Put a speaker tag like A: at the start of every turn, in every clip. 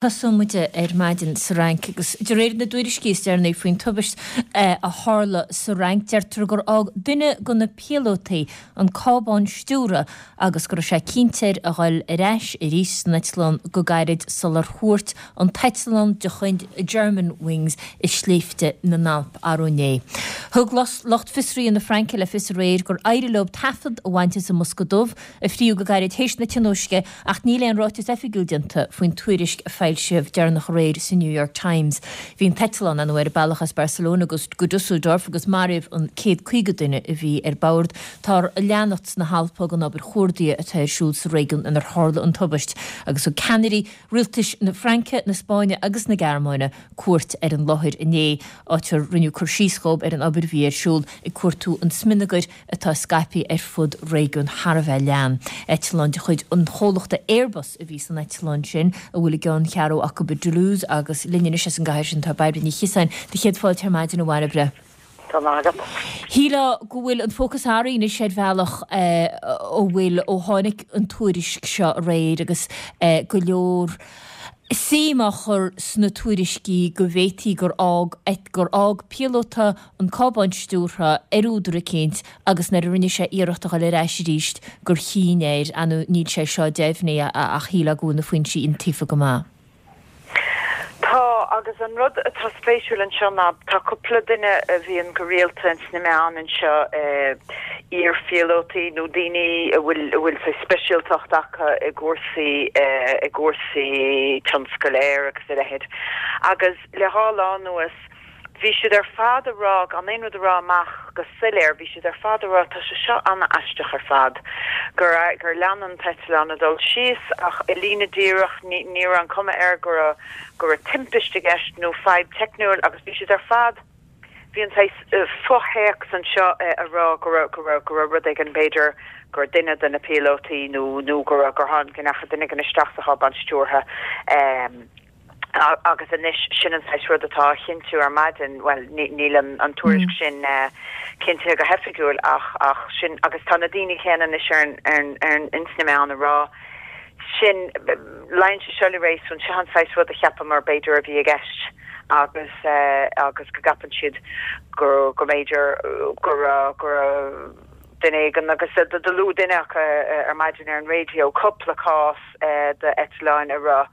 A: Tosóidh muid ar maidin sa Fhrainc agus de réir na dtuairiscí is deireanaí faoin tubaist a tharla sa Fhrainc, deirtear gur fhág duine de na píolótaí an cábán stiúrtha agus go raibh sé cinnte air a dhul ar ais arís san eitleán go gairid sular thuairt an t-eitleán de chuid Germanwings i sléibhte na nAlp arú inné. Thug lucht fiosraithe na Fraince le fios aréir gur éirigh leo taifead a bhaint as an mbosca dubh a fríodh go gairid théis na tionóisce ach níl aon ráiteas oifigiúil déanta faoin tuairisc a foilsíodh deireanach aréir sa New York Times. Bhí an t-eitleán, ar ndóigh, ar a bealach as Barcelona go Dusseldorf agus maraíodh an 150 duine a bhí ar bord. Táthar ag leanacht sna hAlpa den obair chuardaithe atá ar siúl sa réigiún inar tharla an tubaist agus thug ceannairí rialtais na Fraince, na Spáinne agus na Gearmáine cuairt ar an láthair inné, áit ar rinneadh cur síos dhóibh ar an obair a bhí ar siúl ag cuartú an smionagair atá scaipthe ar fud réigiún thar a bheith leathan. Eitleán de chuid an chomhlachta Airbus a bhí san eitleán sin, a bhfuil a gceanncheathrú acu i dToulouse agus linn anois as an gcathair sin tá Bairbre Ní Chiosáin. Do chéad fáilte ar maidin, a Bhairbre.
B: Tá maith agat.
A: Shílfeá go bhfuil an fócas athraithe anois ar bhealach ó bhfuil ó tháinig an tuairisc seo aréir agus go leor suim á chur sna tuairiscí go bhféadfaí gur fhág gur fhág píolóta an cábán stiúrtha ar údar eicínt agus nuair a rinne sé iarracht a dhul ar ais arís gur chinn air, ar ndóigh níl sé seo deimhnithe ach shílfeá go bhfuil na foinsí iontaofa go maith.
B: Tá, agus an rud atá spéisiúil anseo ná tá cúpla duine a bhíonn go rialta ins na meáin anseo, iar-phíolótaí nó daoine a bhfuil a bhfuil saghas speisialtacht acu i gcúrsaí i gcúrsaí tionscail aeir agus a leithéid agus le dhá lá anuas Bhí siad ar fad a rá, gan aon rud a rá amach go soiléir, bhí siad ar fad a rá, tá sé seo an-aisteach ar fad, gur, gur lean an t-eitleán ag dul síos ach i líne díreach, ní, ní raibh an cuma air go raibh, go raibh timpist i gceist nó fadhb teicniúil agus bhí siad ar fad, bhí an saghas fo-théacs anseo a rá go raibh, go raibh, go raibh rud éigin b'fhéidir gur duine de na píolótaí nó, nó go raibh, gur tháinig, go ndeachaigh duine éigin isteach sa chábán stiúrtha. Agus anois, sin an saghas rud atá á chinntiú ar maidin, bhuel, níl an tuairisc sin cinntithe go hoifigiúil ach, ach sin, agus tá na daoine céanna anois ar an, ar an, ins na meáin ag rá sin, luíonn sé seo le réasún, seo an saghas rud a cheapamar b'fhéidir a bhí i gceist agus, agus go gceapann siad go, go mb'fhéidir go raibh, go raibh duine éigin, agus do luaigh duine acu ar maidin ar an raidió cúpla cás d'eitleáin a raibh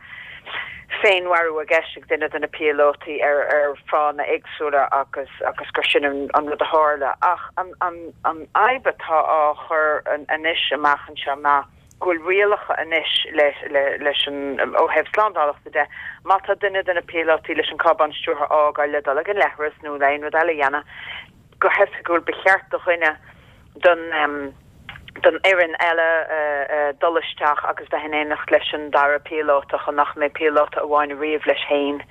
B: féinmharú i gceist ag duine de na píolótaí ar ar fáthanna éagsúla agus agus gur sin an rud a tharla. Ach an an an fhadhb atá á chur anois amach anseo ná go bhfuil rialacha anois le le leis an ó thaobh slándálacha de, má tá duine de na píolótaí leis an cábán stiúrtha a fhágáil le dul ag an leithreas nó le aon rud eile a dhéanamh, Go hoifigiúil, ba cheart do dhuine den den fhoireann eile dul isteach agus bheith in éineacht leis an dara píolóta chun nach mbeidh píolóta amháin ariamh leis féin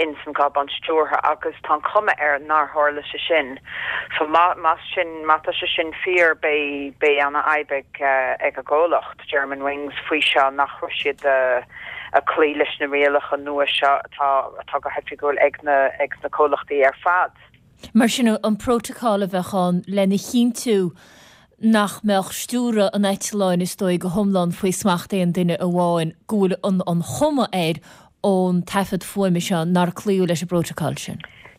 B: ins an gcábán stiúrtha agus tá an chuma air nár tharla sé sin. So má más sin má tá sé sin fíor beidh beidh ana fhadhb ag ag an gcomhlacht Germanwings faoi seo nach raibh siad ag cloí leis na rialacha nua seo atá atá go hoifigiúil ag na ag na comhlachtaí ar fad.
A: Mar sin, an prótacal a bheadh ann lena chinntiú nach mbeadh stiúradh an eitleáin, is dóigh, go hiomlán faoi smacht aon duine amháin, go bhfuil an chuma air ón taifead fuaime seo nár cloíodh leis an bprótacal sin.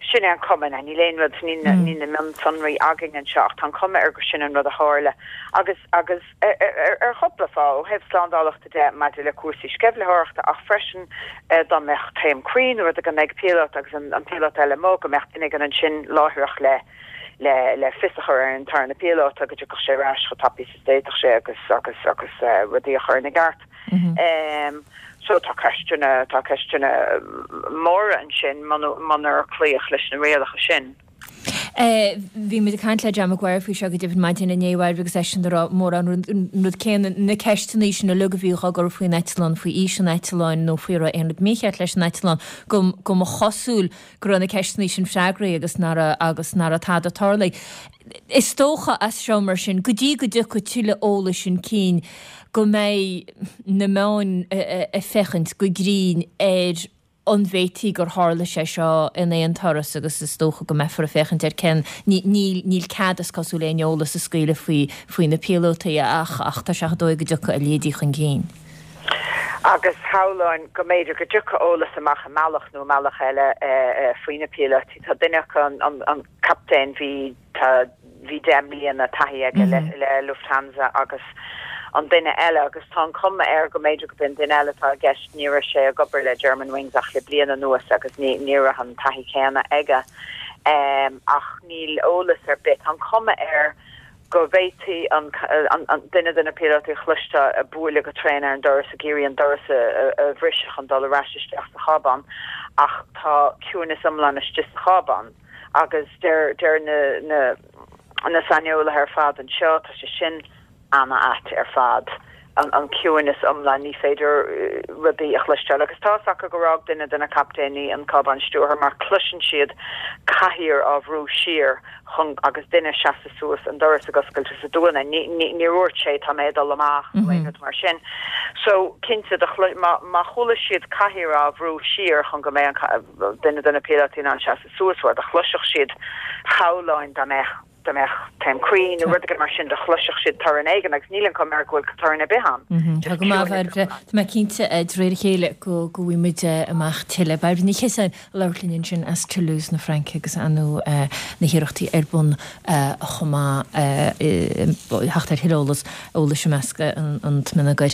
B: Sin é an chuma. Níl aon rud, níl na mionsonraí againn anseo ach tá an chuma air gur sin an rud a tharla. Agus, agus. ar chúpla fáth, ó thaobh slándálacha de maidir le cúrsaí sceimhlitheoireachta ach freisin dá mbeadh taom croí nó rud éigin ag píolóta agus an píolóta eile amuigh, go mbeadh duine éigin ansin láithreach le le fios a chur ar an tarna píolóta go dtiocfadh sé ar ais chomh tapaidh is a d'fhéadfadh sé agus agus agus rudaí a chur ina gceart. So tá ceisteanna tá ceisteanna móra ansin munar cloíodh leis na rialacha sin.
A: Bhí muid ag caint le John Maguire faoi seo go deimhin maidin inné, a Bhairbre, agus eisean ag rá mórán an rud céanna, na ceisteanna sin uilig a bhí á gcur faoin eitleán, faoi aois an eitleáin nó faoi raibh aon rud mícheart leis an eitleán, go go mba chosúil go raibh na ceisteanna sin freagraithe agus nach raibh agus nach raibh tada tarlaithe. Is dócha as seo mar sin, go dtí go dtiocfaidh tuilleadh eolais chun cinn, go mbeidh na meáin ag féachaint go grinn ar an bhféadfaí gur tharla sé seo in aon turas agus is dócha go mbeifear ag féachaint ar cén, níl, níl cead is cosúil aon eolas a scaoileadh faoi, faoi na píolótaí ach, ach tá sé chomh dóigh go dtiocfaidh a leithéidí chun cinn.
B: Agus shamhlóinn go mb'fhéidir go dtiocfadh eolas amach i mbealach nó i mbealach eile faoi na píolótaí. Tá duine acu, an captaen, bhí, tá, bhí 10 mbliana taithí aige le Lufthansa agus an duine eile, agus tá an chuma air go mb'fhéidir gurb é an duine eile atá i gceist, ní raibh sé ag obair le Germanwings ach le bliain anuas agus ní, ní raibh an taithí céanna aige. Ach níl eolas ar bith. Tá an chuma air go bhféadfaí an duine de na píolótaí a chloisteáil ag bualadh go tréan ar an doras ag iarraidh an doras a bhriseadh chun dul ar ais isteach sa chábán ach tá ciúineas iomlán istigh sa chábán agus deir deir na na na saineolaithe ar fad anseo tá sé sin ana-ait ar fad an an ciúineas iomlán ní féidir rudaí a chloisteáil agus tá's acu gur fhág duine de na captaeiní an cábán stiúrtha mar cloiseann siad cathaoir á bhrú siar chun agus duine ag seasamh suas an doras ag oscailt is ag dúnadh. Ní ní níor dhúirt sé tá mé ag dul amach nó aon rud mar sin. So cinnte do chlo má má chuala siad cathaoir á bhrú siar chun go mbeidh an duine de na píolótaí in ann seasamh suas bhuel do chloisfeadh siad shamhlóinn dá mbeadh dá mbeadh taom croí nó rud éigin mar sin do chloisfeadh siad torann éigin agus níl an chuma air go bhfuil torann ar bith ann.
A: Tá go maith, a Bhairbre. Tá mé cinnte de réir a chéile go go bhfaighidh muid amach tuilleadh. Bairbre Ní Chiosáin ag labhairt linn ansin as Toulouse na Fraince agus ar ndóigh na hiarrachtaí ar bun chomh maith theacht ar thuilleadh eolas eolais i measc an tsliogair.